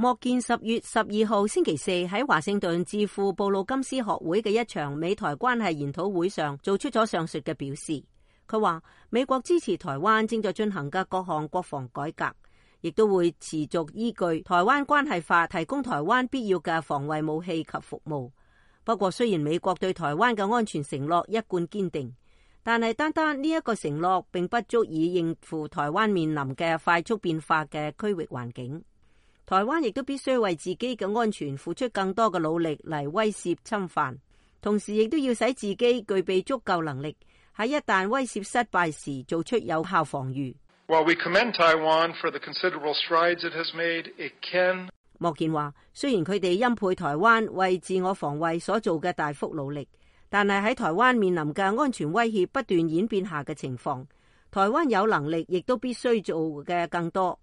莫健10月12號星期四喺華盛頓智庫布魯金斯學會嘅一場美台關係研討會上做出咗上述嘅表示。佢話美國支持台灣正在進行嘅各項國防改革，亦都會持續依據台灣關係法提供台灣必要嘅防衛武器及服務。不過雖然美國對台灣嘅安全承諾一貫堅定，但係單單呢一個承諾並不足以應付台灣面臨嘅快速變化嘅區域環境。台灣亦都必須為自己嘅安全付出更多嘅努力嚟威懾侵犯，同時亦都要使自己具備足夠能力，喺一旦威懾失敗時做出有效防禦。While we commend Taiwan for the considerable strides it has made, it can... 莫健話，雖然佢哋欽佩台灣為自我防衛所做嘅大幅努力，但係喺台灣面臨嘅安全威脅不斷演變下嘅情況，台灣有能力亦都必須做嘅更多。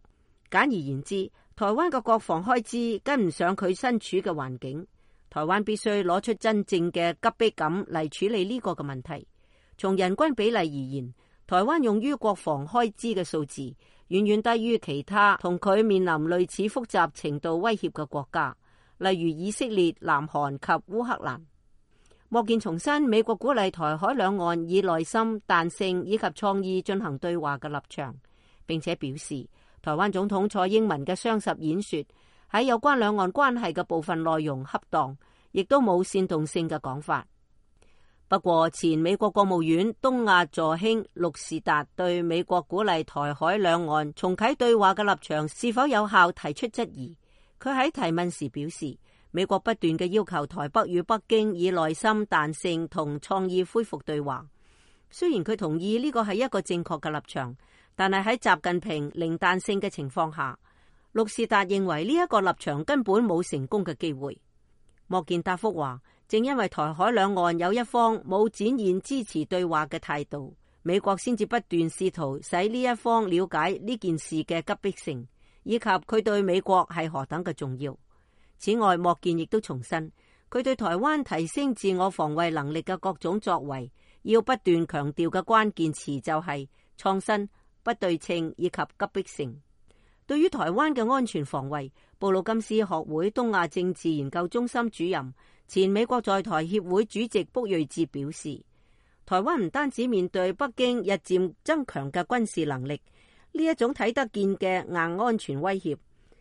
簡而言之，台灣嘅國防開支跟唔上佢身處嘅環境，台灣必須攞出真正嘅急迫感嚟處理呢個嘅問題。從人均比例而言，台灣用於國防開支嘅數字遠遠低於其他同佢面臨類似複雜程度威脅嘅國家，例如以色列、南韓及烏克蘭。莫健重申美國鼓勵台海兩岸以耐心、彈性以及創意進行對話嘅立場，並且表示台灣總統蔡英文嘅雙十演說喺有關兩岸關係嘅部分內容恰當，亦都冇煽動性嘅講法。不過，前美國國務院東亞助卿陸士達對美國鼓勵台海兩岸重啟對話嘅立場是否有效提出質疑。佢喺提問時表示，美國不斷嘅要求台北與北京以耐心、彈性同創意恢復對話。雖然佢同意呢個係一個正確嘅立場，但係喺習近平零彈性嘅情況下，陸士達認為呢一個立場根本冇成功嘅機會。莫健答覆話，正因為台海兩岸有一方冇展現支持對話嘅態度，美國先至不斷試圖使呢一方了解呢件事嘅急迫性，以及佢對美國係何等嘅重要。此外，莫健亦都重申，佢對台灣提升自我防衛能力嘅各種作為，要不斷強調嘅關鍵詞就係創新、不對稱以及急迫性。對於台灣嘅安全防衛，布魯金斯學會東亞政治研究中心主任、前美國在台協會主席卜睿哲表示，台灣唔單止面對北京日漸增強嘅軍事能力，呢一種睇得見嘅硬安全威脅，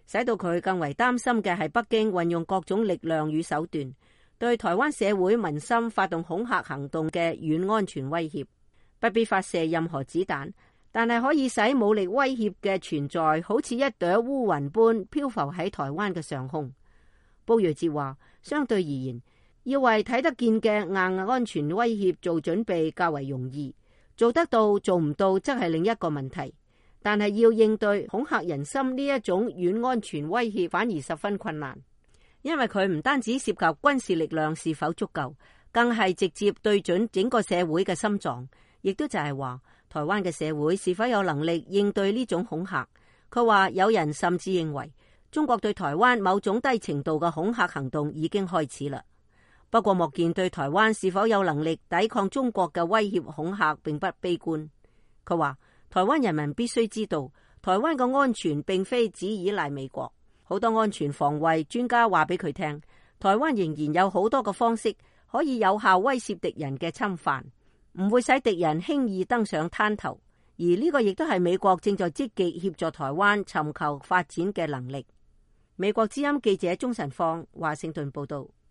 使到佢更為擔心嘅係北京運用各種力量與手段，對台灣社會民心發動恐嚇行動嘅軟安全威脅。不必發射任何子彈，但係可以使武力威脅嘅存在好似一朵烏雲般漂浮喺台灣嘅上空。卜睿哲話，相對而言，要為睇得見嘅硬安全威脅做準備較為容易，做得到做唔到則係另一個問題。但係要應對恐嚇人心呢一種軟安全威脅反而十分困難，因為佢唔單止涉及軍事力量是否足夠，更係直接對準整個社會嘅心臟，亦都就係話台灣嘅社會是否有能力應對呢種恐嚇。佢話有人甚至認為中國對台灣某種低程度嘅恐嚇行動已經開始啦。不過莫健對台灣是否有能力抵抗中國嘅威脅恐嚇並不悲觀。佢話台灣人民必須知道，台灣嘅安全並非只依賴美國。好多安全防衛專家話俾佢聽，台灣仍然有好多個方式可以有效威懾敵人嘅侵犯，唔會使敵人輕易登上灘頭。而呢個亦都係美國正在積極協助台灣尋求發展嘅能力。美國之音記者鍾晨放華盛頓報道。